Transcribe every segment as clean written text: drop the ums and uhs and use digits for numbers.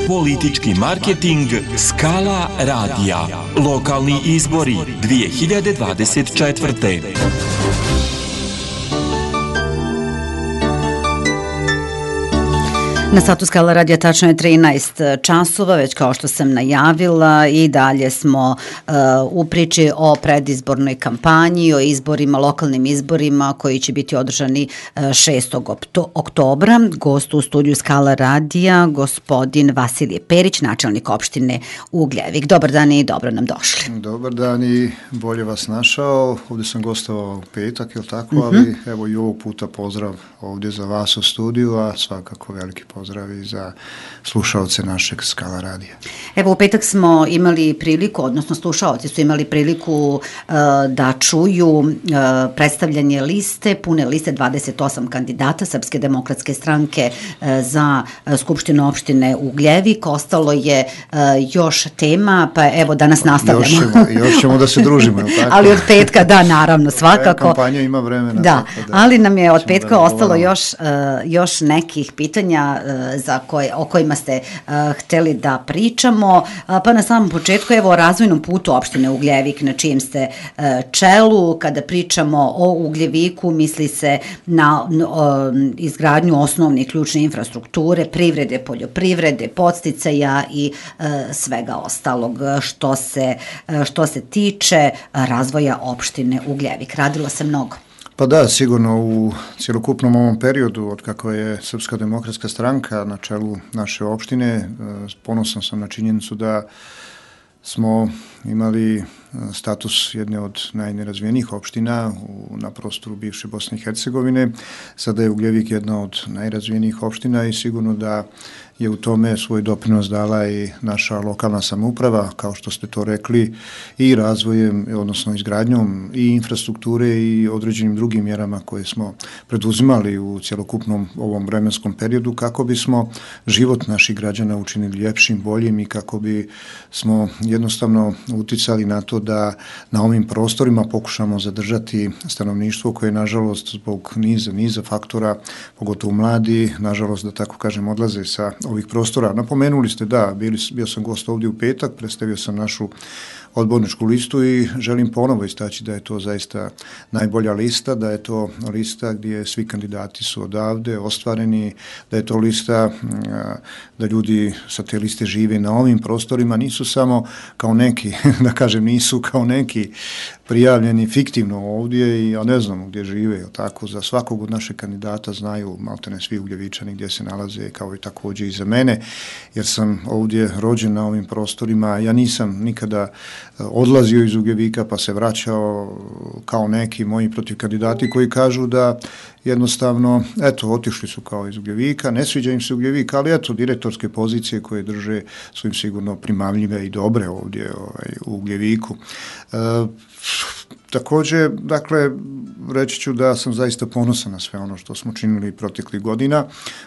Politički marketing Skala radija. Lokalni izbori 2024. Na satu Skala radija tačno je 13 časova, već kao što sam najavila, i dalje smo u priči o predizbornoj kampanji, o izborima, lokalnim izborima koji će biti održani 6. oktobra. Gost u studiju Skala radija, gospodin Vasilije Perić, načelnik opštine Ugljevik. Dobar dan i dobro nam došli. Dobar dan i bolje vas našao. Ovdje sam gostovao u petak, je li tako? Ali evo i ovog puta pozdrav ovdje za vas u studiju, a svakako veliki pozdrav i za slušaoce našeg Skala radija. Evo, u petak smo imali priliku, odnosno slušaoci su imali priliku da čuju predstavljanje liste, pune liste 28 kandidata Srpske demokratske stranke za Skupštinu opštine Ugljevik. Ostalo je još tema, pa evo danas nastavljamo. Još ćemo da se družimo, je li tako? Ali od petka, da, naravno, svakako. Kampanja ima vremena. Da, ali nam je od petka ostalo još nekih pitanja o kojima ste hteli da pričamo, pa na samom početku evo o razvojnom putu opštine Ugljevik na čijem ste čelu. Kada pričamo o Ugljeviku misli se na izgradnju osnovne i ključne infrastrukture, privrede, poljoprivrede, podsticaja i svega ostalog što se tiče razvoja opštine Ugljevik. Radilo se mnogo. Pa da, sigurno u cjelokupnom ovom periodu od kako je Srpska demokratska stranka na čelu naše opštine, ponosan sam na činjenicu da smo imali status jedne od najnerazvijenijih opština na prostoru bivše Bosne i Hercegovine. Sada je Ugljevik jedna od najrazvijenijih opština i sigurno da je u tome svoj doprinos dala i naša lokalna samouprava, kao što ste to rekli, i razvojem, odnosno izgradnjom i infrastrukture i određenim drugim mjerama koje smo preduzimali u cjelokupnom ovom vremenskom periodu kako bismo život naših građana učinili ljepšim, boljim i kako bi smo jednostavno uticali na to da na ovim prostorima pokušamo zadržati stanovništvo koje, nažalost, zbog niza faktora, pogotovo mladi, nažalost, da tako kažem, odlaze sa ovih prostora. Napomenuli ste, da, bio sam gost ovdje u petak, predstavio sam našu odborničku listu i želim ponovo istaći da je to zaista najbolja lista, da je to lista gdje svi kandidati su odavde ostvareni, da je to lista da ljudi sa te liste žive na ovim prostorima, nisu samo kao neki, da kažem, nisu kao neki prijavljeni fiktivno ovdje i ja ne znamo gdje žive, tako za svakog od naših kandidata znaju maltene svi Ugljevičani gdje se nalaze, kao i također i za mene, jer sam ovdje rođen na ovim prostorima. Ja nisam nikada odlazio iz Ugljevika pa se vraćao kao neki moji protiv kandidati koji kažu da jednostavno, eto, otišli su kao iz Ugljevika, ne sviđa im se Ugljevik, ali eto, direktorske pozicije koje drže su im sigurno primamljive i dobre ovdje u Ugljeviku. Također, dakle, reći ću da sam zaista ponosan na sve ono što smo činili proteklih godina.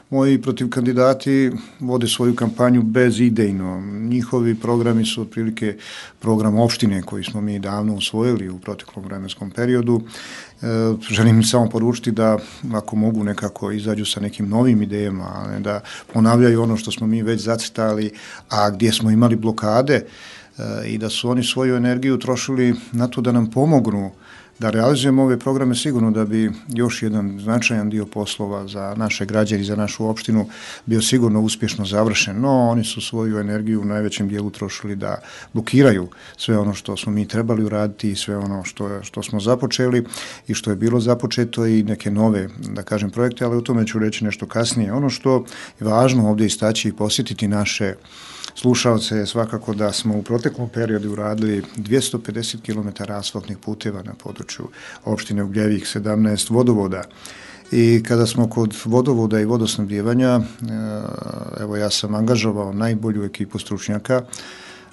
Moji protiv kandidati vode svoju kampanju bezidejno. Njihovi programi su otprilike program opštine koji smo mi davno usvojili u proteklom vremenskom periodu. Želim im samo poručiti da ako mogu nekako izađu sa nekim novim idejama, a ne da ponavljaju ono što smo mi već zacrtali, a gdje smo imali blokade, i da su oni svoju energiju trošili na to da nam pomognu da realizujemo ove programe, sigurno da bi još jedan značajan dio poslova za naše građane i za našu opštinu bio sigurno uspješno završen. No, oni su svoju energiju u najvećem dijelu trošili da blokiraju sve ono što smo mi trebali uraditi i sve ono što smo započeli i što je bilo započeto i neke nove, da kažem, projekte, ali o tome ću reći nešto kasnije. Ono što je važno ovdje istaći i posjetiti naše slušalce je svakako da smo u proteklom periodu uradili 250 km asfaltnih puteva na području opštine Ugljevik, 17 vodovoda. I kada smo kod vodovoda i vodosnabdijevanja, evo ja sam angažovao najbolju ekipu stručnjaka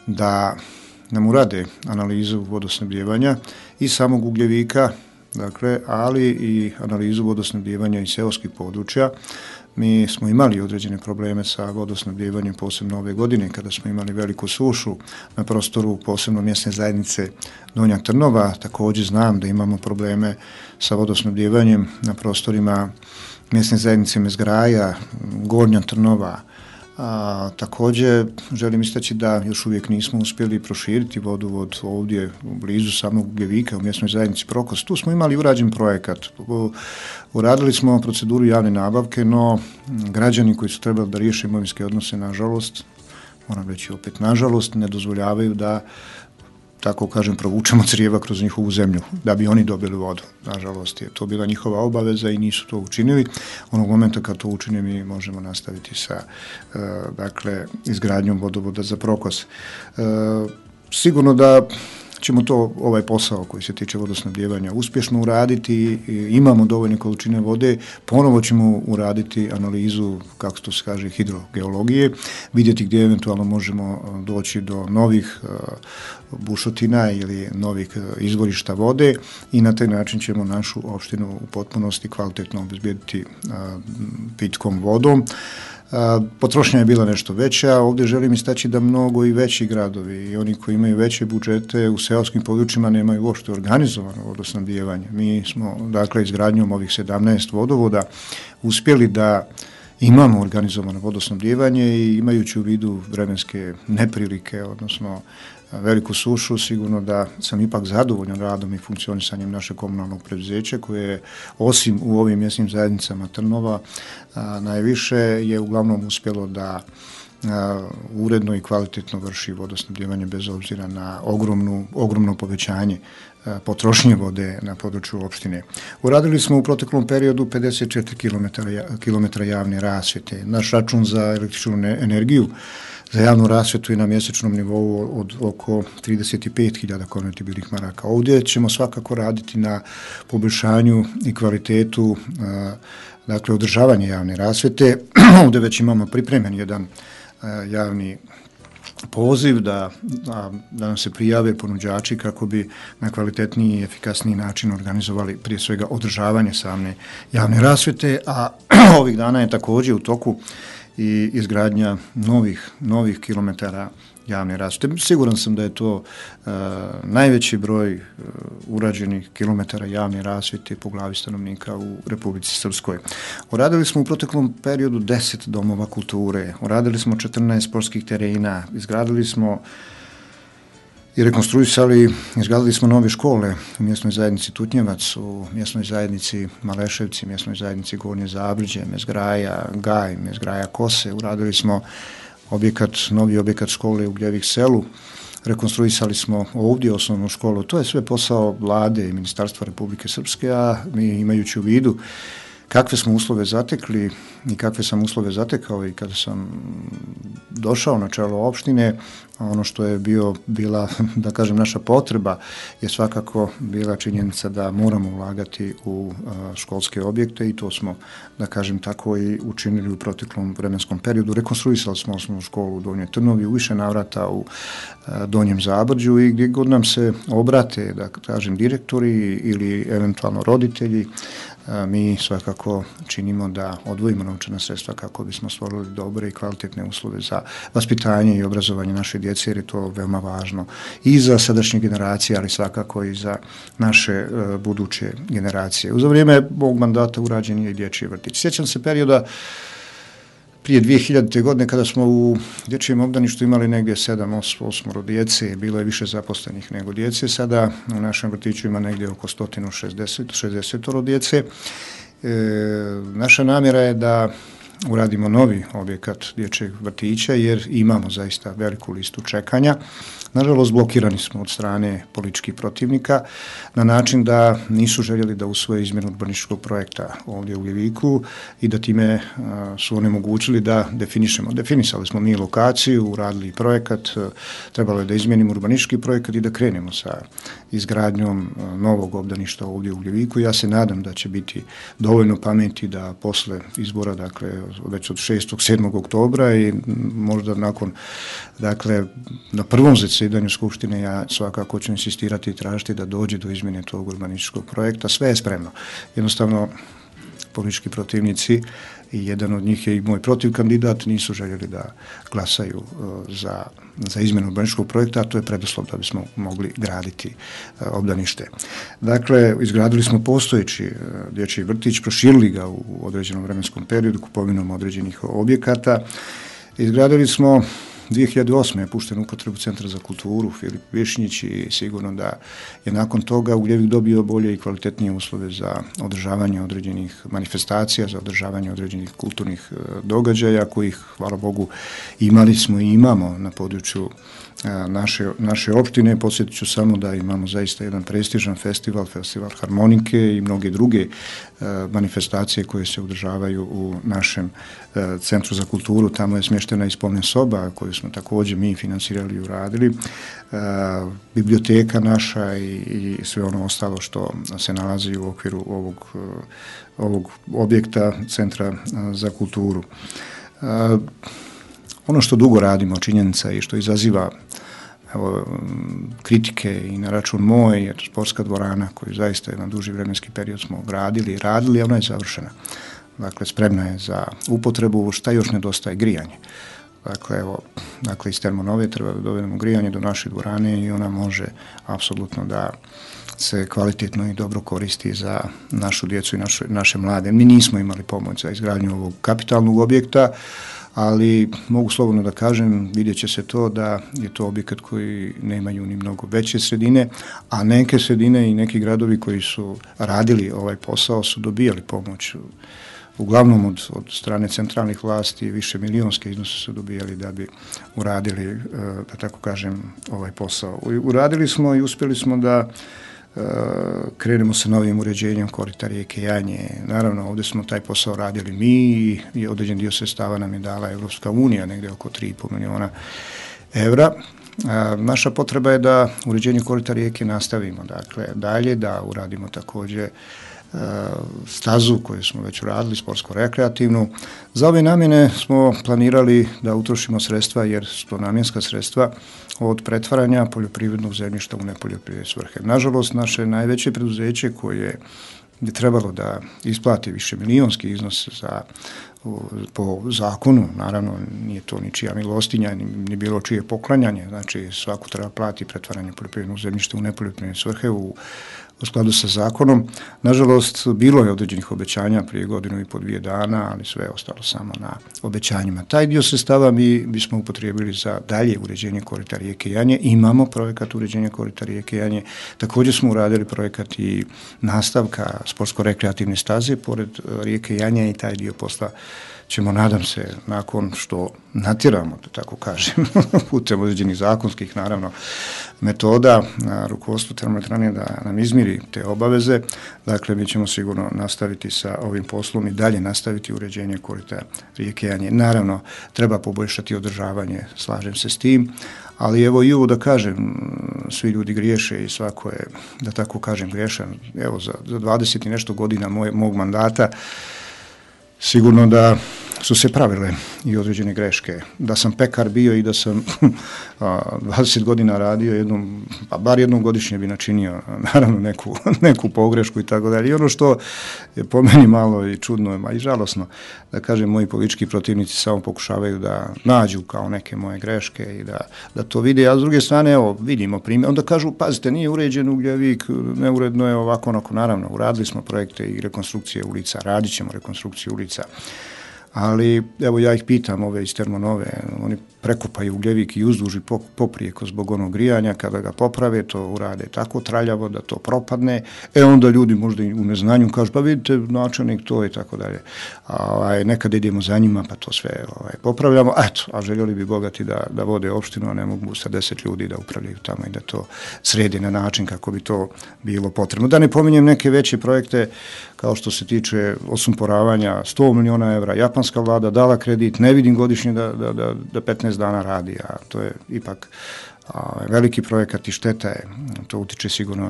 da nam urade analizu vodosnabdijevanja i samog Ugljevika, dakle, ali i analizu vodosnabdijevanja iz seoskih područja. Mi smo imali određene probleme sa vodosnabdijevanjem, posebno ove godine, kada smo imali veliku sušu na prostoru posebno mjesne zajednice Donja Trnova. Također znam da imamo probleme sa vodosnabdijevanjem na prostorima mjesne zajednice Mezgraja, Gornja Trnova, Također želim istaći da još uvijek nismo uspjeli proširiti vodovod ovdje blizu samog Ugljevika u mjesnoj zajednici Prokos. Tu smo imali urađen projekat. Uradili smo proceduru javne nabavke, no građani koji su trebali da riješe imovinske odnose, nažalost, moram reći opet nažalost, ne dozvoljavaju da, tako kažem, provučemo crijeva kroz njihovu zemlju, da bi oni dobili vodu. Nažalost je to bila njihova obaveza i nisu to učinili. Onog momenta kad to učine mi možemo nastaviti sa izgradnjom vodovoda za Prokos. Sigurno da ćemo ovaj posao koji se tiče vodosnabdijevanja uspješno uraditi, imamo dovoljne količine vode, ponovo ćemo uraditi analizu, kako to se kaže, hidrogeologije, vidjeti gdje eventualno možemo doći do novih bušotina ili novih izvorišta vode i na taj način ćemo našu opštinu u potpunosti kvalitetno obezbijediti pitkom vodom. Potrošnja je bila nešto veća, ovdje želim istaći da mnogo i veći gradovi i oni koji imaju veće budžete u seoskim područjima nemaju uopšte organizovano vodosnabdijevanje. Mi smo, dakle, izgradnjom ovih 17 vodovoda uspjeli da imamo organizovano vodosnabdijevanje i imajući u vidu vremenske neprilike, odnosno veliku sušu, sigurno da sam ipak zadovoljan radom i funkcionisanjem našeg komunalnog preduzeća koje je, osim u ovim mjesnim zajednicama Trnova, najviše je uglavnom uspjelo da uredno i kvalitetno vrši vodosnabdijevanje bez obzira na ogromno povećanje potrošnje vode na području opštine. Uradili smo u proteklom periodu 54 km javne rasvjete. Naš račun za električnu energiju za javnu rasvjetu je na mjesečnom nivou od oko 35.000 konvertibilnih maraka. Ovdje ćemo svakako raditi na poboljšanju i kvalitetu, dakle, održavanja javne rasvjete. Ovdje već imamo pripremljen jedan javni poziv da nam se prijave ponuđači kako bi na kvalitetniji i efikasniji način organizovali prije svega održavanje same javne rasvjete, a ovih dana je također u toku i izgradnja novih kilometara javne rasvjete. Siguran sam da je to najveći broj urađenih kilometara javne rasvjete po glavi stanovnika u Republici Srpskoj. Uradili smo u proteklom periodu 10 domova kulture, uradili smo 14 sportskih terena, izgradili smo i izgradili smo nove škole u mjesnoj zajednici Tutnjevac, u mjesnoj zajednici Maleševci, mjesnoj zajednici Gornje Zabrđe, Mezgraja Gaj, Mezgraja Kose. Uradili smo novi objekat škole u Ugljevik selu, rekonstruisali smo ovdje osnovnu školu. To je sve posao Vlade i Ministarstva Republike Srpske, a mi imajući u vidu kakve smo uslove zatekli i kakve sam uslove zatekao i kada sam došao na čelo opštine, ono što je bila, da kažem, naša potreba je svakako bila činjenica da moramo ulagati u školske objekte i to smo, da kažem tako, i učinili u proteklom vremenskom periodu. Rekonstruisali smo osnovnu školu u Donjoj Trnovi, u više navrata u Donjem Zabrđu i gdje god nam se obrate, da kažem, direktori ili eventualno roditelji, mi svakako činimo da odvojimo novčana sredstva kako bismo stvorili dobre i kvalitetne uslove za vaspitanje i obrazovanje naše djece, jer je to veoma važno i za sadašnje generacije, ali svakako i za naše buduće generacije. Za vrijeme ovog mandata urađen je i dječji vrtić. Sjećam se perioda prije 2000. godine kada smo u dječjem obdaništu imali negdje 7-8 djece, bilo je više zaposlenih nego djece, sada u našem vrtiću ima negdje oko 160 djece. Naša namjera je da uradimo novi objekat dječjeg vrtića jer imamo zaista veliku listu čekanja. Nažalost, blokirani smo od strane političkih protivnika na način da nisu željeli da usvoje izmjenu urbanističkog projekta ovdje u Ugljeviku i da time su onemogućili da definišemo. Definisali smo mi lokaciju, uradili projekat, trebalo je da izmijenimo urbanistički projekat i da krenemo sa izgradnjom novog obdaništa ovdje u Ugljeviku. Ja se nadam da će biti dovoljno pameti da posle izbora, dakle, već od 6. 7. oktobra i možda nakon, dakle, na prvom zasjedanju Skupštine ja svakako ću insistirati i tražiti da dođe do izmjene tog urbanističkog projekta. Sve je spremno. Jednostavno, politički protivnici i jedan od njih je i moj protivkandidat, nisu željeli da glasaju za izmjenu urbanističkog projekta, a to je preduslov da bismo mogli graditi obdanište. Dakle, izgradili smo postojeći dječji vrtić, proširili ga u određenom vremenskom periodu kupovinom određenih objekata. Izgradili smo 2008. je pušten u upotrebu Centra za kulturu Filip Višnjić i sigurno da je nakon toga Ugljevik dobio bolje i kvalitetnije uslove za održavanje određenih manifestacija, za održavanje određenih kulturnih događaja kojih, hvala Bogu, imali smo i imamo na području naše opštine. Podsjetit ću samo da imamo zaista jedan prestižan festival harmonike i mnoge druge manifestacije koje se održavaju u našem Centru za kulturu. Tamo je smještena i spomen soba koju smo također mi finansirali i uradili. Biblioteka naša i sve ono ostalo što se nalazi u okviru ovog objekta Centra za kulturu. Ono što dugo radimo, činjenica i što izaziva kritike i na račun moj, je sportska dvorana koju zaista jedan duži vremenski period smo gradili, ona je završena. Dakle, spremna je za upotrebu, šta još nedostaje? Grijanje. Dakle, iz Termonove treba da dovedemo grijanje do naše dvorane i ona može apsolutno da se kvalitetno i dobro koristi za našu djecu i naše mlade. Mi nismo imali pomoć za izgradnju ovog kapitalnog objekta, ali mogu slobodno da kažem, vidjet će se to da je to objekat koji nemaju ni mnogo veće sredine, a neke sredine i neki gradovi koji su radili ovaj posao su dobijali pomoć. Uglavnom od strane centralnih vlasti više milionske iznose su dobijali da bi uradili, da tako kažem, ovaj posao. Uradili smo i uspjeli smo da krenemo sa novim uređenjem korita rijeke Janje. Naravno, ovdje smo taj posao radili mi i određen dio sredstava nam je dala Evropska unija, negdje oko 3,5 miliona evra. Naša potreba je da uređenje korita rijeke nastavimo, dakle, dalje, da uradimo također stazu koju smo već uradili, sportsko-rekreativnu. Za ove namjene smo planirali da utrošimo sredstva, jer su to namjenska sredstva, od pretvaranja poljoprivrednog zemljišta u nepoljoprivredne svrhe. Nažalost, naše najveće preduzeće koje je trebalo da isplati više milionski iznos po zakonu, naravno nije to ničija milostinja, ni bilo čije poklanjanje, znači svako treba plati pretvaranje poljoprivrednog zemljišta u nepoljoprivredne svrhe u skladu sa zakonom. Nažalost, bilo je određenih obećanja prije 1,5-2 dana, ali sve je ostalo samo na obećanjima. Taj dio sredstava mi bismo upotrijebili za dalje uređenje korita rijeke Janje. Imamo projekat uređenja korita rijeke Janje. Također smo uradili projekat i nastavka sportsko-rekreativne staze pored rijeke Janje i taj dio posla ćemo, nadam se, nakon što natjeramo, da tako kažem, putem određenih zakonskih, naravno, metoda na rukovodstvu termoelektrane da nam izmiri te obaveze. Dakle, mi ćemo sigurno nastaviti sa ovim poslom i dalje nastaviti uređenje korita rijeke Janje. Naravno, treba poboljšati održavanje, slažem se s tim, ali evo i ovo da kažem, svi ljudi griješe i svako je, da tako kažem, griješan. Evo, za 20 i nešto godina mog mandata sigurno da su se pravile i određene greške. Da sam pekar bio i da sam 20 godina radio, bar jednom godišnje bi načinio, naravno, neku pogrešku i tako dalje. I ono što je po meni malo i čudno, a i žalosno, da kažem, moji politički protivnici samo pokušavaju da nađu kao neke moje greške i da to vide, a s druge strane, evo, vidimo primjer, onda kažu, pazite, nije uređen Ugljevik, neuredno je ovako, onako, naravno, uradili smo projekte i rekonstrukcije ulica, radit ćemo rekonstrukciju ulica, ali evo ja ih pitam, ove iz Termonove, oni prekopaju Ugljevik i uzduži poprijeko zbog onog grijanja, kada ga poprave, to urade tako traljavo da to propadne, onda ljudi možda i u neznanju kažu, pa vidite, načelnik to i tako dalje. Nekad idemo za njima, pa to sve popravljamo, a željeli bi bogati da vode opštinu, a ne mogu sa 10 ljudi da upravljaju tamo i da to sredi na način kako bi to bilo potrebno. Da ne pominjem neke veće projekte, kao što se tiče osumporavanja, 100 miliona evra, japanska vlada dala kredit, ne vidim godišnje da 15 dana radi, a to je ipak veliki projekat i šteta je, to utiče sigurno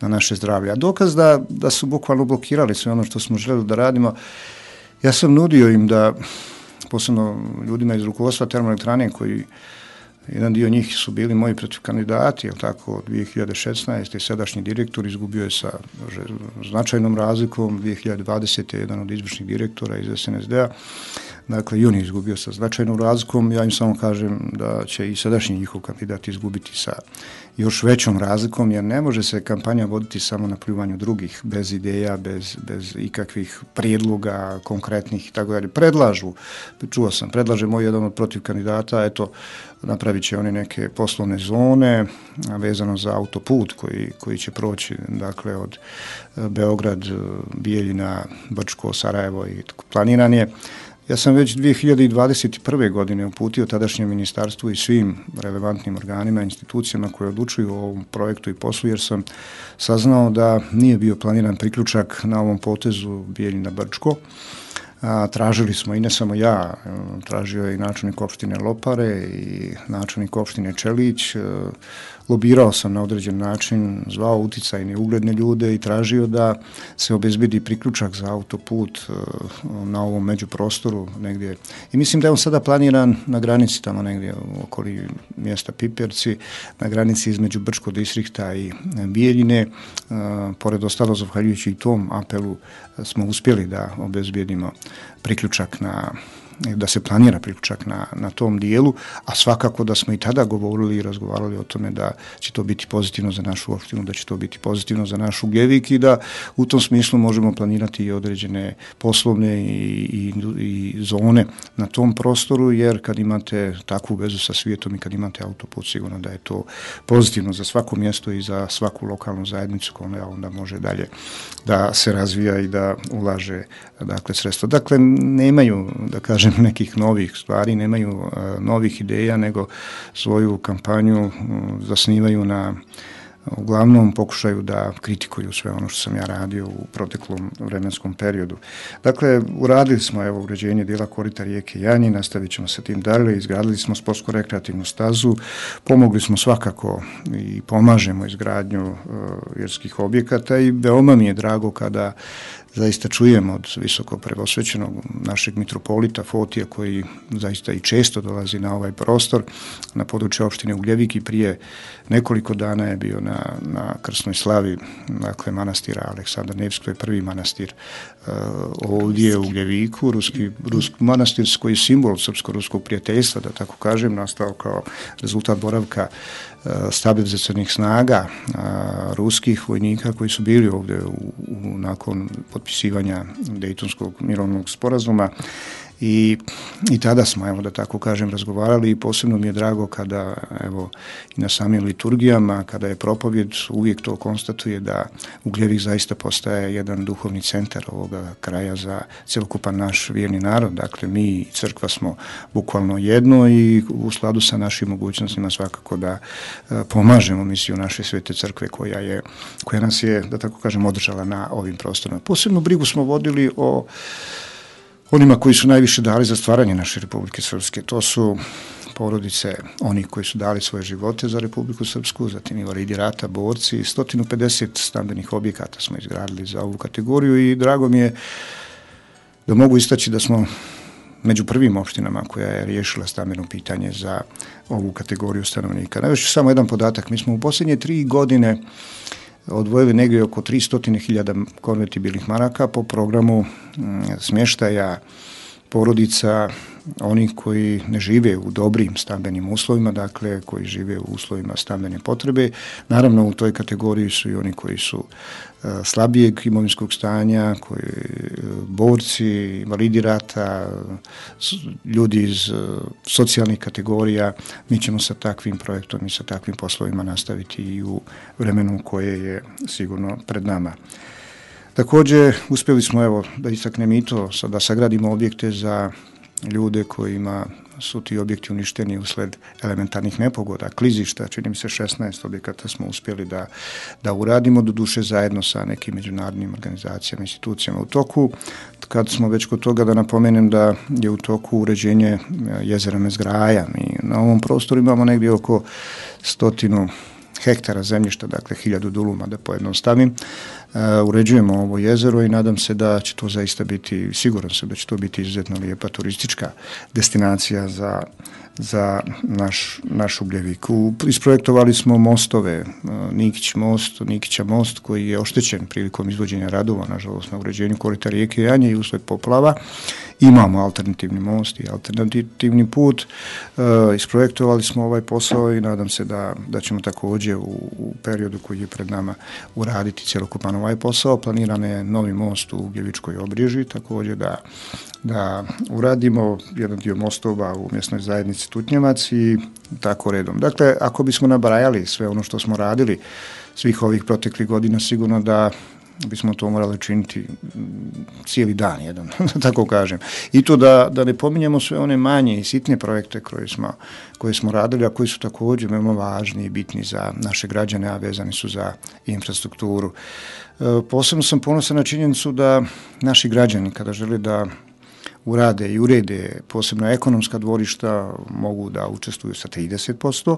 na naše zdravlje. A dokaz da su bukvalno blokirali sve ono što smo želeli da radimo, ja sam nudio im da, posebno ljudima iz rukovodstva termoelektrane, koji jedan dio njih su bili moji protivkandidati, jel tako, 2016. Sadašnji direktor izgubio je sa značajnom razlikom, 2020. jedan od izvršnih direktora iz SNSD-a. dakle i on je izgubio sa značajnom razlikom, ja im samo kažem da će i sadašnji njihov kandidat izgubiti sa još većom razlikom, jer ne može se kampanja voditi samo na pljuvanju drugih, bez ideja, bez ikakvih prijedloga konkretnih i tako dalje. Predlaže moj jedan od protiv kandidata, eto, napravit će oni neke poslovne zone vezano za autoput koji će proći, dakle, od Beograd, Bijeljina, Brčko, Sarajevo i planiran je. Ja sam već 2021. godine uputio tadašnjem ministarstvu i svim relevantnim organima i institucijama koje odlučuju o ovom projektu i poslu, jer sam saznao da nije bio planiran priključak na ovom potezu Bijeljina-Brčko. Tražili smo, i ne samo ja, tražio je i načelnik opštine Lopare i načelnik opštine Čelić, lobirao sam na određen način, zvao uticajne ugledne ljude i tražio da se obezbedi priključak za autoput na ovom međuprostoru negdje. I mislim da je on sada planiran na granici tamo negdje okoli mjesta Piperci, na granici između Brčkog distrikta i Bijeljine. Pored ostalo, zahvaljujući i tom apelu, smo uspjeli da obezbedimo priključak da se planira priključak na tom dijelu, a svakako da smo i tada govorili i razgovarali o tome da će to biti pozitivno za našu opštinu, da će to biti pozitivno za naš Ugljevik i da u tom smislu možemo planirati i određene poslovne i zone na tom prostoru, jer kad imate takvu vezu sa svijetom i kad imate autoput, sigurno da je to pozitivno za svako mjesto i za svaku lokalnu zajednicu koja onda može dalje da se razvija i da ulaže, dakle, sredstva. Dakle, nemaju, da kažem, nekih novih stvari, nemaju novih ideja, nego svoju kampanju zasnivaju na uglavnom pokušaju da kritikuju sve ono što sam ja radio u proteklom vremenskom periodu. Dakle, uradili smo uređenje dijela korita rijeke Janji, nastavit ćemo sa tim dalje, izgradili smo sportsko-rekreativnu stazu, pomogli smo svakako i pomažemo izgradnju vjerskih objekata i veoma mi je drago kada zaista čujem od visoko preosvećenog našeg mitropolita Fotija, koji zaista i često dolazi na ovaj prostor, na područje opštine Ugljevik, i prije nekoliko dana je bio na krsnoj slavi, dakle, manastira Aleksandar Nevski, to je prvi manastir ovdje u Ugljeviku, ruski manastir koji je simbol srpsko-ruskog prijateljstva, da tako kažem, nastao kao rezultat boravka stabilizacionih snaga ruskih vojnika koji su bili ovdje nakon potpisivanja Dejtonskog mirovnog sporazuma. I tada smo, da tako kažem, razgovarali i posebno mi je drago kada, i na samim liturgijama, kada je propovjed, uvijek to konstatuje da Ugljevik zaista postaje jedan duhovni centar ovoga kraja za cjelokupan naš vjerni narod. Dakle, mi i crkva smo bukvalno jedno i u skladu sa našim mogućnostima svakako da pomažemo misiju naše svete crkve koja nas je, da tako kažem, održala na ovim prostorima. Posebnu brigu smo vodili o onima koji su najviše dali za stvaranje naše Republike Srpske. To su porodice onih koji su dali svoje živote za Republiku Srpsku, zatim invalidi rata, borci. 150 stambenih objekata smo izgradili za ovu kategoriju i drago mi je da mogu istaći da smo među prvim opštinama koja je riješila stambeno pitanje za ovu kategoriju stanovnika. Navešću samo jedan podatak. Mi smo u posljednje 3 godine odvojili negdje oko 300.000 konvertibilnih maraka po programu smještaja porodica onih koji ne žive u dobrim stambenim uslovima, dakle koji žive u uslovima stambene potrebe. Naravno, u toj kategoriji su i oni koji su slabijeg imovinskog stanja, borci, invalidi rata, ljudi iz socijalnih kategorija. Mi ćemo sa takvim projektom i sa takvim poslovima nastaviti i u vremenu koje je sigurno pred nama. Također, uspjeli smo, da istaknem i to, da sagradimo objekte za ljude kojima su ti objekti uništeni usled elementarnih nepogoda, klizišta, čini mi se 16 objekata smo uspjeli da uradimo, doduše zajedno sa nekim međunarodnim organizacijama, institucijama u toku. Kad smo već kod toga, da napomenem da je u toku uređenje jezera Mezgraja. Mi na ovom prostoru imamo negdje oko 100 hektara zemljišta, dakle 1000 duluma, da pojednostavim. uređujemo ovo jezero i nadam se da će to zaista biti, siguran sam da će to biti izuzetno lijepa turistička destinacija za naš Ugljevik. Isprojektovali smo mostove, Nikića most koji je oštećen prilikom izvođenja radova, nažalost na uređenju korita rijeke Janje i usled poplava. Imamo alternativni most i alternativni put. Isprojektovali smo ovaj posao i nadam se da ćemo također u periodu koji je pred nama uraditi cjelokupan ovaj posao. Planiran je novi most u Ugljevičkoj Obriži, također da uradimo jedan dio mostova u mjesnoj zajednici Tutnjevac i tako redom. Dakle, ako bismo nabrajali sve ono što smo radili svih ovih proteklih godina, sigurno da bismo to morali činiti cijeli dan jedan, da tako kažem. I to da ne pominjemo sve one manje i sitne projekte koje smo radili, a koji su također veoma važni i bitni za naše građane, a vezani su za infrastrukturu. Posebno sam ponosan na činjenicu da naši građani kada žele da urade i urede posebno ekonomska dvorišta mogu da učestvuju sa 30%,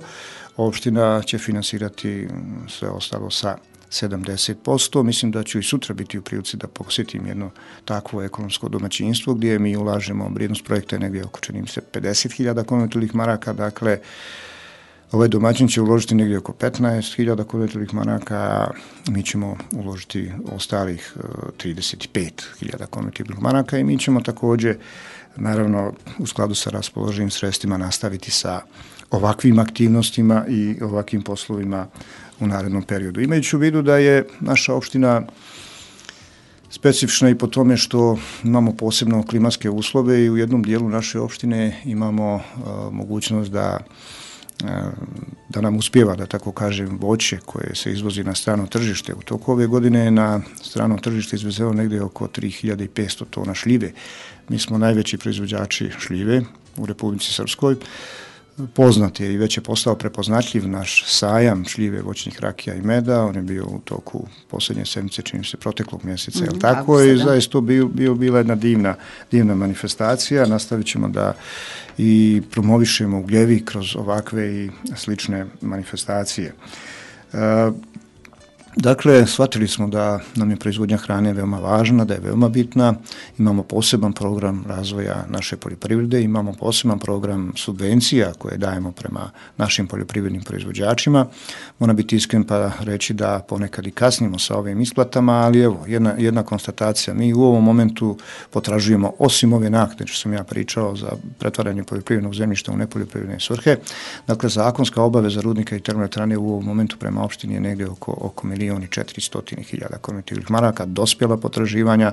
opština će finansirati sve ostalo sa 70%. Mislim da ću i sutra biti u prilici da posjetim jedno takvo ekonomsko domaćinstvo gdje mi ulažemo, vrijednost projekta je negdje oko, čini mi se, 50.000 konvertilnih maraka, dakle ovaj domaćin će uložiti negdje oko 15.000 konvertilnih maraka, a mi ćemo uložiti ostalih 35.000 konvertilnih maraka i mi ćemo također, naravno, u skladu sa raspoloživim sredstvima nastaviti sa ovakvim aktivnostima i ovakvim poslovima u narednom periodu. Imajući u vidu da je naša opština specifična i po tome što imamo posebno klimatske uslove i u jednom dijelu naše opštine imamo mogućnost da nam uspijeva, da tako kažem, voće koje se izvozi na strano tržište. U toku ove godine je na strano tržište izvezeno negdje oko 3500 tona šljive. Mi smo najveći proizvođači šljive u Republici Srpskoj. Poznat je i već je postao prepoznatljiv naš sajam šljive, voćnih rakija i meda. On je bio u toku posljednje sedmice, čini se, proteklog mjeseca, je li tako? I zaista to bila jedna divna manifestacija. Nastavit ćemo da i promovišemo Ugljevik kroz ovakve i slične manifestacije. Dakle, shvatili smo da nam je proizvodnja hrane veoma važna, da je veoma bitna. Imamo poseban program razvoja naše poljoprivrede, imamo poseban program subvencija koje dajemo prema našim poljoprivrednim proizvođačima. Moram biti iskren pa reći da ponekad i kasnimo sa ovim isplatama, ali evo, jedna konstatacija. Mi u ovom momentu potražujemo, osim ove naknade što sam ja pričao za pretvaranje poljoprivrednog zemljišta u nepoljoprivredne svrhe, dakle, zakonska obaveza rudnika i termoelektrane u ovom momentu prema opštini je negdje oko 1.400.000 konvertilnih maraka, dospjela potraživanja.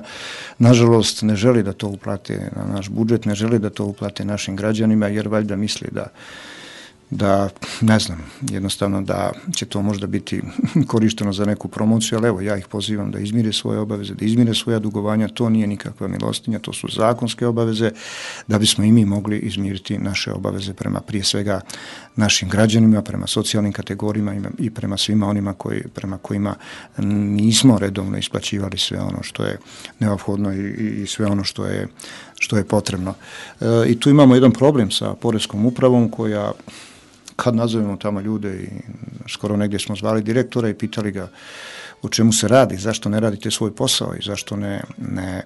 Nažalost, ne želi da to uplate na naš budžet, ne želi da to uplate našim građanima, jer valjda misli da ne znam, jednostavno da će to možda biti korišteno za neku promociju, ali evo, ja ih pozivam da izmire svoje obaveze, da izmire svoja dugovanja, to nije nikakva milostinja, to su zakonske obaveze, da bismo i mi mogli izmiriti naše obaveze prema, prije svega, našim građanima, prema socijalnim kategorijama i prema svima onima prema kojima nismo redovno isplaćivali sve ono što je neophodno i sve ono što je potrebno. I tu imamo jedan problem sa poreskom upravom koja, kad nazovemo tamo ljude i skoro negdje smo zvali direktora i pitali ga o čemu se radi, zašto ne radite svoj posao i zašto ne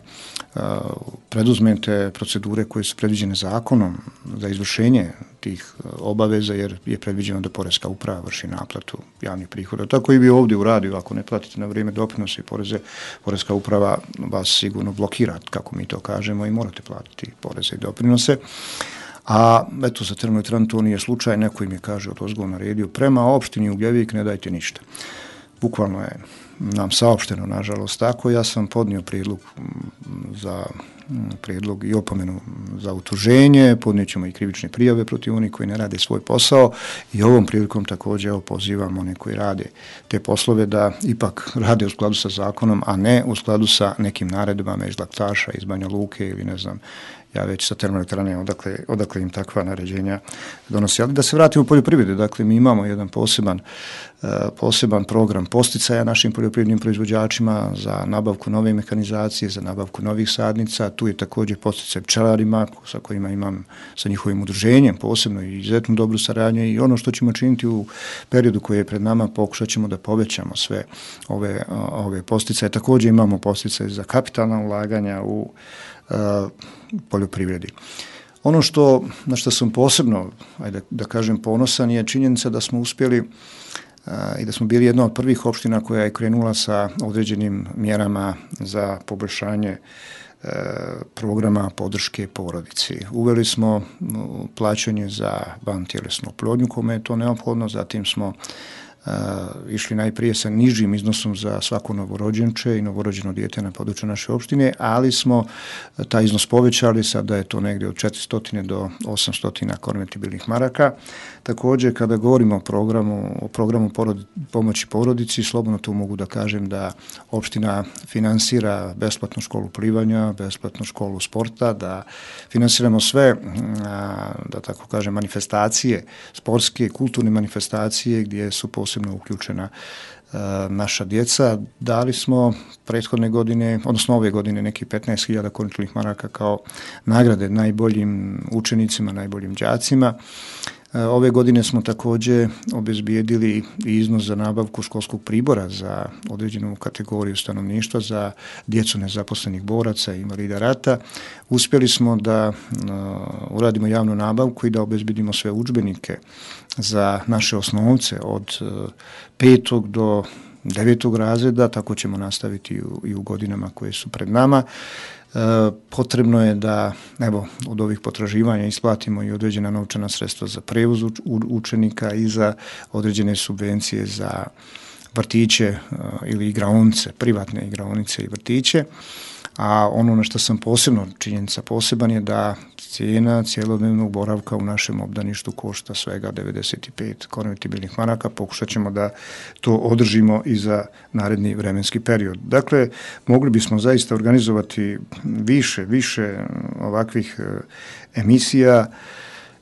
preduzmete procedure koje su predviđene zakonom za izvršenje tih obaveza, jer je predviđeno da poreska uprava vrši naplatu javnih prihoda. Tako i vi ovdje u radiju, ako ne platite na vrijeme doprinose i poreze, poreska uprava vas sigurno blokira, kako mi to kažemo, i morate platiti poreze i doprinose. A eto, za termoelektranu to nije slučaj, neko im je kaže odozgo naredio, prema opštini Ugljevik ne dajte ništa. Bukvalno je nam saopšteno, nažalost, tako. Ja sam podnio prijedlog i opomenu za utuženje, podnijet ćemo i krivične prijave protiv onih koji ne rade svoj posao i ovom prilikom također pozivam one koji rade te poslove da ipak rade u skladu sa zakonom, a ne u skladu sa nekim naredbama iz Laktaša, iz Banja Luke ili ne znam ja već sa termoelektrane odakle im takva naređenja donosi. Ali da se vratimo u poljoprivredu, dakle mi imamo jedan poseban program posticaja našim poljoprivrednim proizvođačima za nabavku nove mehanizacije, za nabavku novih sadnica. Tu je također posticaj pčelarima sa kojima imam sa njihovim udruženjem posebno i izuzetno dobru saradnju i ono što ćemo činiti u periodu koji je pred nama, pokušat ćemo da povećamo sve ove posticaje. Također imamo posticaje za kapitalna ulaganja u poljoprivredi. Ono na što sam posebno, da kažem, ponosan je činjenica da smo uspjeli i da smo bili jedna od prvih opština koja je krenula sa određenim mjerama za poboljšanje programa podrške porodici. Uveli smo plaćanje za vantjelesnu oplodnju kome je to neophodno, zatim smo išli najprije sa nižim iznosom za svako novorođenče i novorođeno dijete na području naše opštine, ali smo taj iznos povećali, sada je to negdje od 400 do 800 konvertibilnih maraka. Također, kada govorimo o programu pomoći porodici, slobodno tu mogu da kažem da opština finansira besplatnu školu plivanja, besplatnu školu sporta, da finansiramo sve, da tako kažem, manifestacije, sportske, kulturne manifestacije gdje su posebno uključena naša djeca. Dali smo prethodne godine, odnosno ove godine, nekih 15.000 konvertibilnih maraka kao nagrade najboljim učenicima, najboljim đacima. Ove godine smo također obezbijedili i iznos za nabavku školskog pribora za određenu kategoriju stanovništva, za djecu nezaposlenih boraca i invalida rata. Uspjeli smo da uradimo javnu nabavku i da obezbijedimo sve udžbenike za naše osnovce od 5. do 9. razreda, tako ćemo nastaviti i u godinama koje su pred nama. Potrebno je da od ovih potraživanja isplatimo i određena novčana sredstva za prevoz učenika i za određene subvencije za vrtiće ili igraonice, privatne igraonice i vrtiće. A ono na što sam činjenica poseban je da cijena cjelodnevnog boravka u našem obdaništu košta svega 95 konvertibilnih maraka. Pokušat ćemo da to održimo i za naredni vremenski period. Dakle, mogli bismo zaista organizovati više ovakvih emisija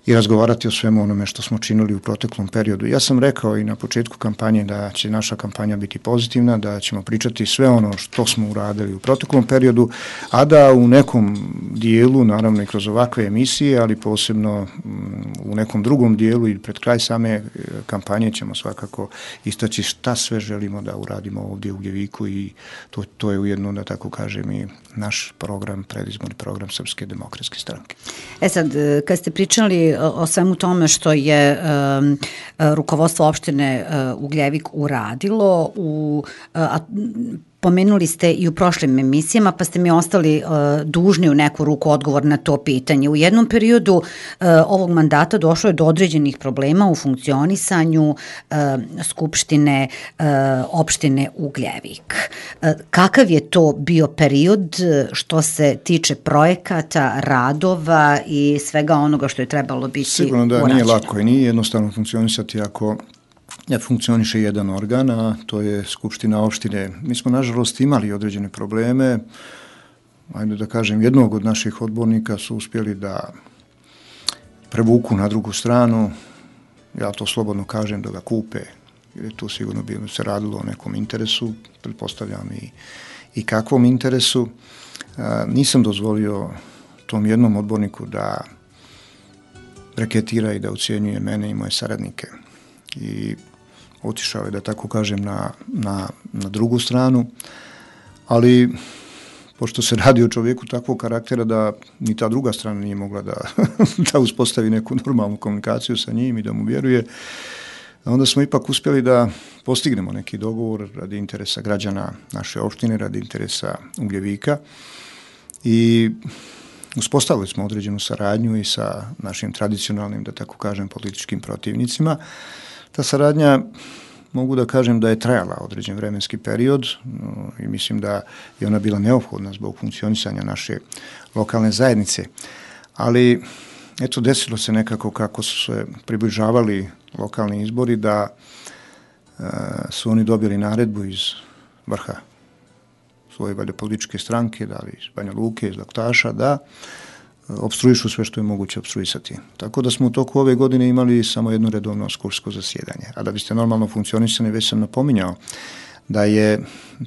i razgovarati o svemu onome što smo činili u proteklom periodu. Ja sam rekao i na početku kampanje da će naša kampanja biti pozitivna, da ćemo pričati sve ono što smo uradili u proteklom periodu, a da u nekom dijelu, naravno i kroz ovakve emisije, ali posebno u nekom drugom dijelu i pred kraj same kampanje ćemo svakako istaći šta sve želimo da uradimo ovdje u Ugljeviku i to je ujedno, da tako kažem, i naš program, predizborni program Srpske demokratske stranke. Sad, kad ste pričali o svemu tome što je rukovodstvo opštine Ugljevik uradilo, pomenuli ste i u prošlim emisijama, pa ste mi ostali dužni u neku ruku odgovor na to pitanje. U jednom periodu ovog mandata došlo je do određenih problema u funkcionisanju Skupštine opštine Ugljevik. Kakav je to bio period što se tiče projekata, radova i svega onoga što je trebalo biti Sigurno da urađeno? Nije lako i nije jednostavno funkcionisati ako funkcioniše jedan organ, a to je Skupština opštine. Mi smo, nažalost, imali određene probleme. Ajde da kažem, jednog od naših odbornika su uspjeli da prevuku na drugu stranu. Ja to slobodno kažem, da ga kupe, jer je tu sigurno se radilo o nekom interesu, pretpostavljam i kakvom interesu. Nisam dozvolio tom jednom odborniku da reketira i da ucijenjuje mene i moje saradnike. I otišao je, da tako kažem, na drugu stranu, ali pošto se radi o čovjeku takvog karaktera da ni ta druga strana nije mogla da uspostavi neku normalnu komunikaciju sa njim i da mu vjeruje, onda smo ipak uspjeli da postignemo neki dogovor radi interesa građana naše opštine, radi interesa Ugljevika i uspostavili smo određenu saradnju i sa našim tradicionalnim, da tako kažem, političkim protivnicima. Ta saradnja, mogu da kažem da je trajala određen vremenski period i mislim da je ona bila neophodna zbog funkcionisanja naše lokalne zajednice. Ali, eto, desilo se nekako kako su se približavali lokalni izbori da su oni dobili naredbu iz vrha svoje političke stranke, da li iz Banja Luke, iz Laktaša, da opstruišu sve što je moguće opstruisati. Tako da smo u toku ove godine imali samo jedno redovno skupštinsko zasjedanje. A da biste normalno funkcionisali, već sam napominjao da je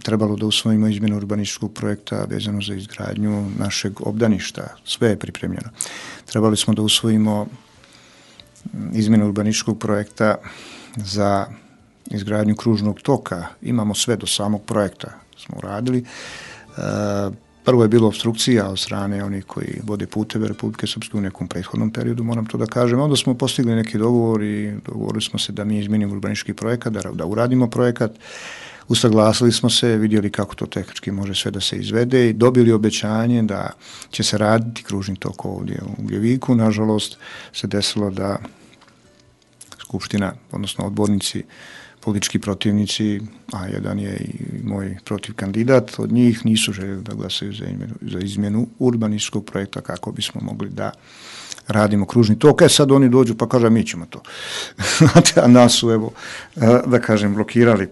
trebalo da usvojimo izmjenu urbanističkog projekta vezano za izgradnju našeg obdaništa. Sve je pripremljeno. Trebali smo da usvojimo izmjenu urbanističkog projekta za izgradnju kružnog toka. Imamo sve do samog projekta smo uradili. Prvo je bilo opstrukcija od strane onih koji vode puteve Republike Srpske u nekom prethodnom periodu, moram to da kažem. Onda smo postigli neki dogovor i dogovorili smo se da mi izmenimo urbanistički projekat, da uradimo projekat. Usaglasili smo se, vidjeli kako to tehnički može sve da se izvede i dobili obećanje da će se raditi kružni tok ovdje u Ugljeviku. Nažalost se desilo da Skupština, odnosno odbornici, politički protivnici, a jedan je i moj protiv kandidat, od njih nisu željeli da glasaju za izmjenu urbanističkog projekta kako bismo mogli da radimo kružni tok. Sad oni dođu pa kažu mi ćemo to. A nas su, evo, da kažem, blokirali.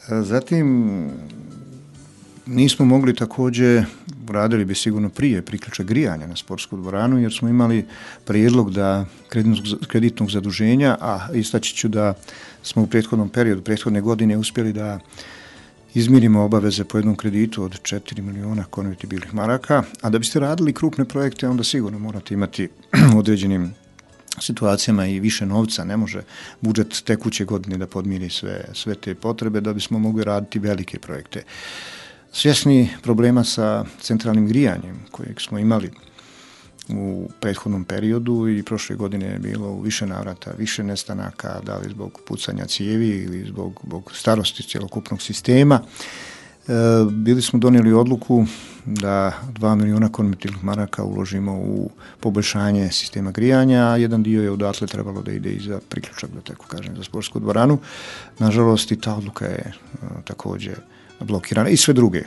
Zatim, nismo mogli također, radili bi sigurno prije priključak grijanja na sportsku dvoranu, jer smo imali prijedlog da kreditnog zaduženja, a istaći ću da smo u prethodnom periodu, prethodne godine uspjeli da izmirimo obaveze po jednom kreditu od 4 miliona konvertibilnih maraka, a da biste radili krupne projekte, onda sigurno morate imati u određenim situacijama i više novca. Ne može budžet tekuće godine da podmiri sve te potrebe da bismo mogli raditi velike projekte. Svjesni problema sa centralnim grijanjem kojeg smo imali u prethodnom periodu i prošle godine je bilo u više navrata, više nestanaka, da li zbog pucanja cijevi ili zbog starosti cjelokupnog sistema, bili smo donijeli odluku da 2 miliona konvertibilnih maraka uložimo u poboljšanje sistema grijanja, a jedan dio je odatle trebalo da ide i za priključak, da tako kažem, za sportsku dvoranu. Nažalost, i ta odluka je također blokirana i sve druge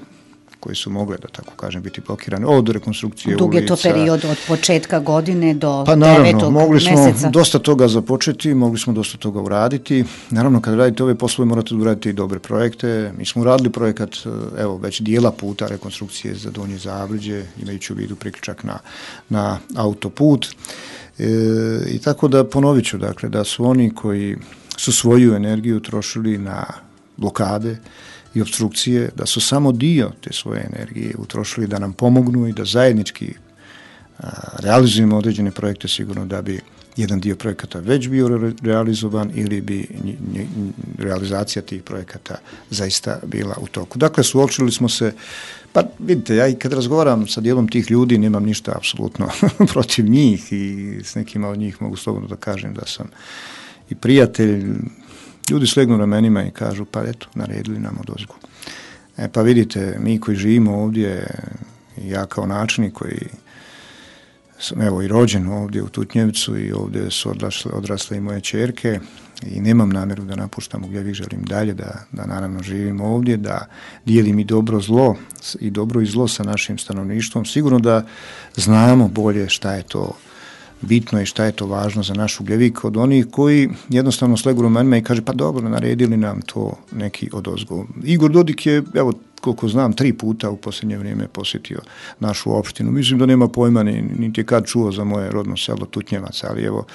koje su mogle, da tako kažem, biti blokirane, od rekonstrukcije ulica. Dug je to period od početka godine do 9. Pa naravno, mogli smo mjeseca. dosta toga započeti, mogli smo dosta toga uraditi. Naravno, kad radite ove poslove, morate uraditi i dobre projekte. Mi smo uradili projekat, evo, već dijela puta rekonstrukcije za Donje Zavrđe, imajući u vidu priključak na autoput. I tako da ponovit ću, dakle, da su oni koji su svoju energiju trošili na blokade i opstrukcije, da su samo dio te svoje energije utrošili da nam pomognu i da zajednički realizujemo određene projekte, sigurno da bi jedan dio projekata već bio realizovan ili bi realizacija tih projekata zaista bila u toku. Dakle, suočili smo se, pa vidite, ja i kad razgovaram sa dijelom tih ljudi nemam ništa apsolutno protiv njih i s nekima od njih mogu slobodno da kažem da sam i prijatelj. Ljudi slegnu ramenima i kažu, pa eto, naredili nam odozgo. Pa vidite, mi koji živimo ovdje, ja kao načelnik koji sam evo i rođen ovdje u Tutnjevcu i ovdje su odrasle i moje ćerke i nemam namjeru da napuštam Ugljević, želim dalje da naravno živim ovdje, da dijelim i dobro i zlo sa našim stanovništvom. Sigurno da znamo bolje šta je to bitno i šta je to važno za naš Ugljevik od onih koji jednostavno slegu ramenima i kaže pa dobro, naredili nam to neki odozgo. Igor Dodik je, evo koliko znam, 3 puta u posljednje vrijeme posjetio našu opštinu. Mislim da nema pojma niti je kad čuo za moje rodno selo Tutnjevac, ali evo,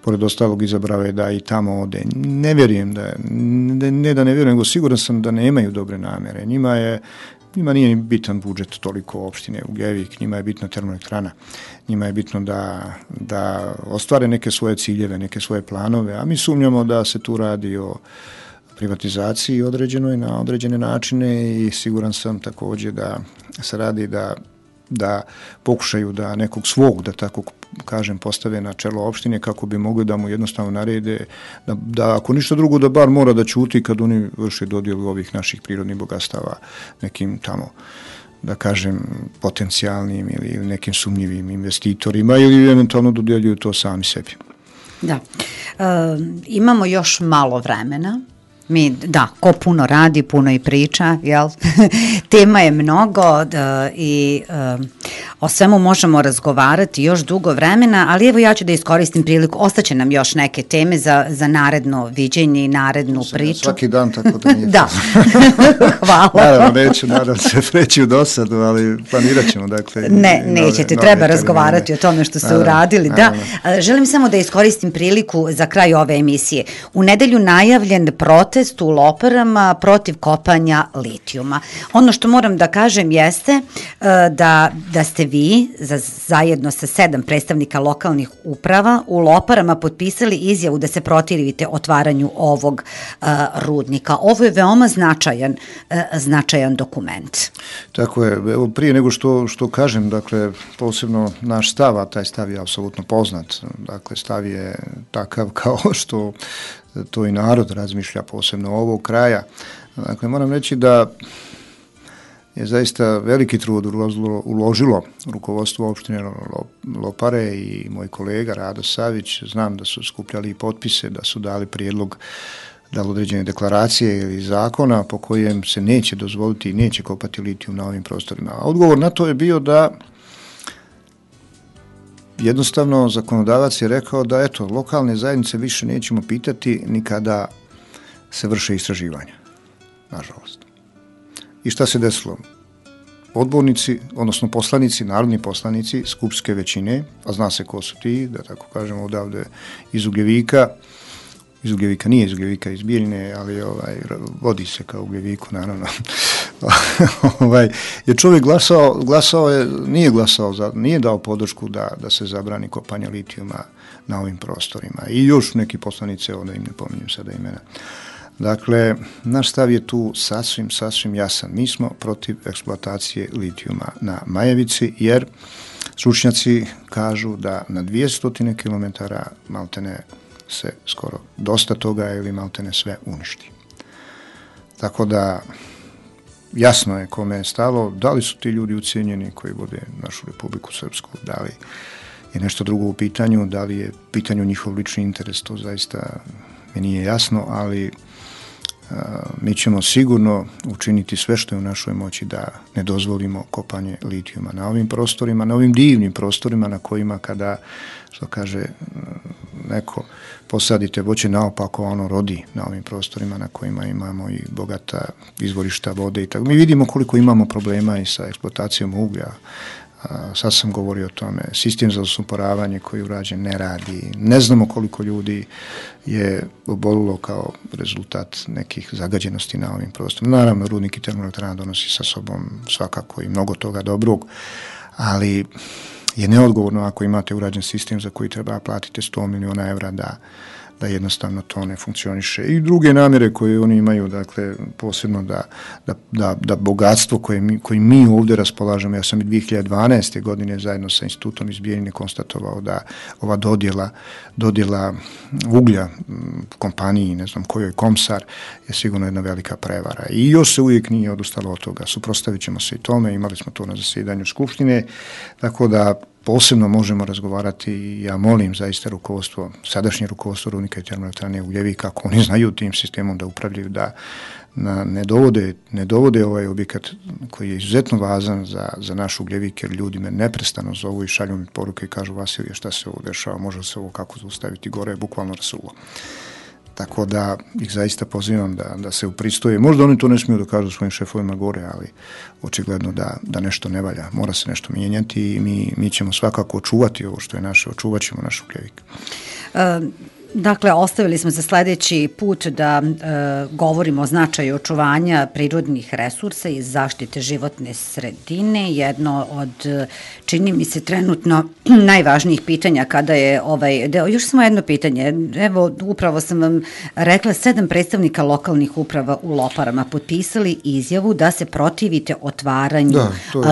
pored ostalog izabrao je da i tamo ode. Ne vjerujem ne vjerujem, nego siguran sam da nemaju dobre namjere. Njima nije bitan budžet toliko opštine Ugljević, njima je bitna termoelektrana, njima je bitno da ostvare neke svoje ciljeve, neke svoje planove, a mi sumnjamo da se tu radi o privatizaciji određenoj na određene načine i siguran sam također da se radi da pokušaju da nekog svog, da tako kažem, postave na čelo opštine kako bi mogli da mu jednostavno narede da ako ništa drugo da bar mora da ćuti kad oni vrše dodjelu ovih naših prirodnih bogatstava nekim tamo, da kažem, potencijalnim ili nekim sumnjivim investitorima ili eventualno dodjeljuju to sami sebi. Da. Imamo još malo vremena. Ko puno radi, puno i priča, jel? Tema je mnogo i O svemu možemo razgovarati još dugo vremena, ali evo ja ću da iskoristim priliku, ostaće nam još neke teme za naredno viđenje i narednu priču. Svaki dan, tako da nije. Da, hvala. Naravno, nadam se preći u dosadu, ali planirat ćemo, dakle. Nećete, treba razgovarati o tome što ste uradili. Da, želim samo da iskoristim priliku za kraj ove emisije. U nedelju najavljen protest u Loparama protiv kopanja litijuma. Ono što moram da kažem jeste da ste vi zajedno sa 7 predstavnika lokalnih uprava u Loparama potpisali izjavu da se protivite otvaranju ovog rudnika. Ovo je veoma značajan dokument. Tako je. Evo, prije nego što kažem, dakle, posebno naš stav, a taj stav je apsolutno poznat. Dakle, stav je takav kao što to i narod razmišlja, posebno ovog kraja. Dakle, moram reći da je zaista veliki trud uložilo rukovodstvo opštine Lopare i moj kolega Rado Savić. Znam da su skupljali potpise, da su dali prijedlog određene deklaracije ili zakona po kojem se neće dozvoliti i neće kopati litijum na ovim prostorima. A odgovor na to je bio da jednostavno zakonodavac je rekao da eto, lokalne zajednice više nećemo pitati ni kada se vrše istraživanja. Nažalost. I šta se desilo? Odbornici, odnosno poslanici, narodni poslanici skupštinske većine, a zna se ko su ti, da tako kažemo odavde iz Ugljevika, nije iz Ugljevika, iz Bijeljine, ali vodi se kao Ugljeviku, naravno. Je čovjek nije dao podršku da se zabrani kopanje litijuma na ovim prostorima. I još neki poslanice, da im ne pominjem sada imena. Dakle, naš stav je tu sasvim jasan. Mi smo protiv eksploatacije litijuma na Majevici, jer stručnjaci kažu da na 200 km maltene se skoro dosta toga ili maltene sve uništi. Tako da jasno je kome je stalo, da li su ti ljudi ucijenjeni koji vode našu Republiku Srpsku, da li je nešto drugo u pitanju, da li je u pitanju njihov lični interes, to zaista mi nije jasno, ali mi ćemo sigurno učiniti sve što je u našoj moći da ne dozvolimo kopanje litijuma na ovim prostorima, na ovim divnim prostorima na kojima kada, što kaže neko, posadite voće naopako, ono rodi na ovim prostorima na kojima imamo i bogata izvorišta vode i tako. Mi vidimo koliko imamo problema i sa eksploatacijom uglja. Sad sam govorio o tome, sistem za osumporavanje koji je urađen ne radi, ne znamo koliko ljudi je obolilo kao rezultat nekih zagađenosti na ovim prostorima. Naravno, rudnik i termoelektrana donosi sa sobom svakako i mnogo toga dobrog, ali je neodgovorno ako imate urađen sistem za koji treba platiti 100 miliona evra da jednostavno to ne funkcioniše. I druge namjere koje oni imaju, dakle, posebno da bogatstvo koje mi ovdje raspolažemo, ja sam i 2012. godine zajedno sa institutom iz Bijeljine konstatovao da ova dodjela uglja kompaniji, ne znam kojoj, Komsar, je sigurno jedna velika prevara. I još se uvijek nije odustalo od toga. Suprotstavit ćemo se i tome, imali smo to na zasjedanju Skupštine, tako da posebno možemo razgovarati i ja molim zaista sadašnje rukovodstvo rudnika i termoelektrane Ugljevika, ako oni znaju tim sistemom da upravljaju, da ne dovode ovaj objekat koji je izuzetno važan za naš Ugljevik, jer ljudi me neprestano zovu i šalju mi poruke i kažu: Vasilije, šta se ovo dešava, može se ovo kako zaustaviti, gore je bukvalno rasulo. Tako da ih zaista pozivam da se upristoje. Možda oni to ne smiju da kažu svojim šefovima gore, ali očigledno da nešto ne valja. Mora se nešto mijenjati i mi ćemo svakako očuvati ovo što je naše, očuvat ćemo naš Ugljevik. Dakle, ostavili smo za sljedeći put da govorimo o značaju očuvanja prirodnih resursa i zaštite životne sredine. Jedno od, čini mi se, trenutno najvažnijih pitanja kada je ovaj deo. Još samo jedno pitanje. Evo, upravo sam vam rekla, 7 predstavnika lokalnih uprava u Loparama potpisali izjavu da se protivite otvaranju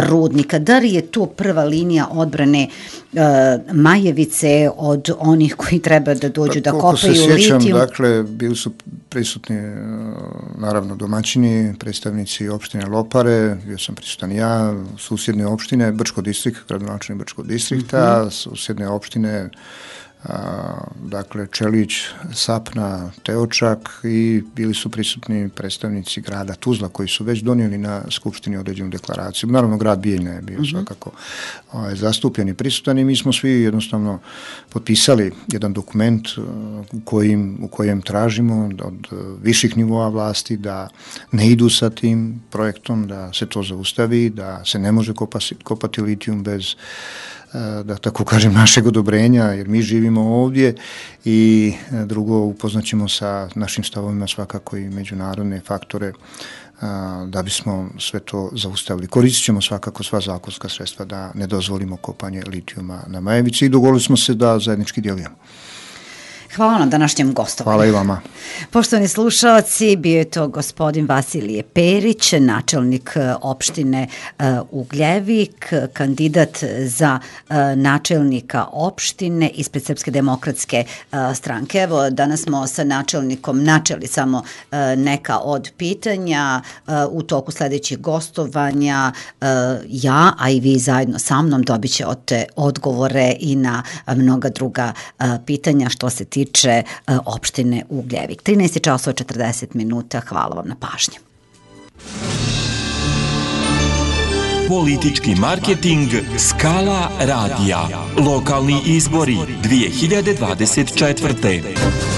rudnika. Da li je to prva linija odbrane Majevice od onih koji treba da dođu da kopaju litijum? Koliko se sjećam, dakle, bili su prisutni naravno domaćini, predstavnici opštine Lopare, bio sam prisutan ja, susjedne opštine, Brčko distrikt, gradonačelnik Brčkog distrikta, susjedne opštine dakle Čelić, Sapna, Teočak i bili su prisutni predstavnici grada Tuzla koji su već donijeli na Skupštini određenu deklaraciju. Naravno, grad Bijeljna je bio svakako zastupljen i prisutan i mi smo svi jednostavno potpisali jedan dokument u kojem tražimo od viših nivoa vlasti da ne idu sa tim projektom, da se to zaustavi, da se ne može kopati litijum bez, da tako kažem, našeg odobrenja, jer mi živimo ovdje, i drugo, upoznaćemo sa našim stavovima svakako i međunarodne faktore da bismo sve to zaustavili. Koristit ćemo svakako sva zakonska sredstva da ne dozvolimo kopanje litijuma na Majevici i dogovorili smo se da zajednički djelujemo. Hvala na današnjem gostovanju. Hvala i vama. Poštovani slušalci, bio je to gospodin Vasilije Perić, načelnik opštine Ugljevik, kandidat za načelnika opštine ispred Srpske demokratske stranke. Evo, danas smo sa načelnikom načeli samo neka od pitanja. U toku sledećih gostovanja ja, a i vi zajedno sa mnom dobit ćete odgovore i na mnoga druga pitanja što se tiče opštine Ugljevik. 13 časova 40 minuta. Hvala vam na pažnji. Politički marketing Skala radija. Lokalni izbori 2024.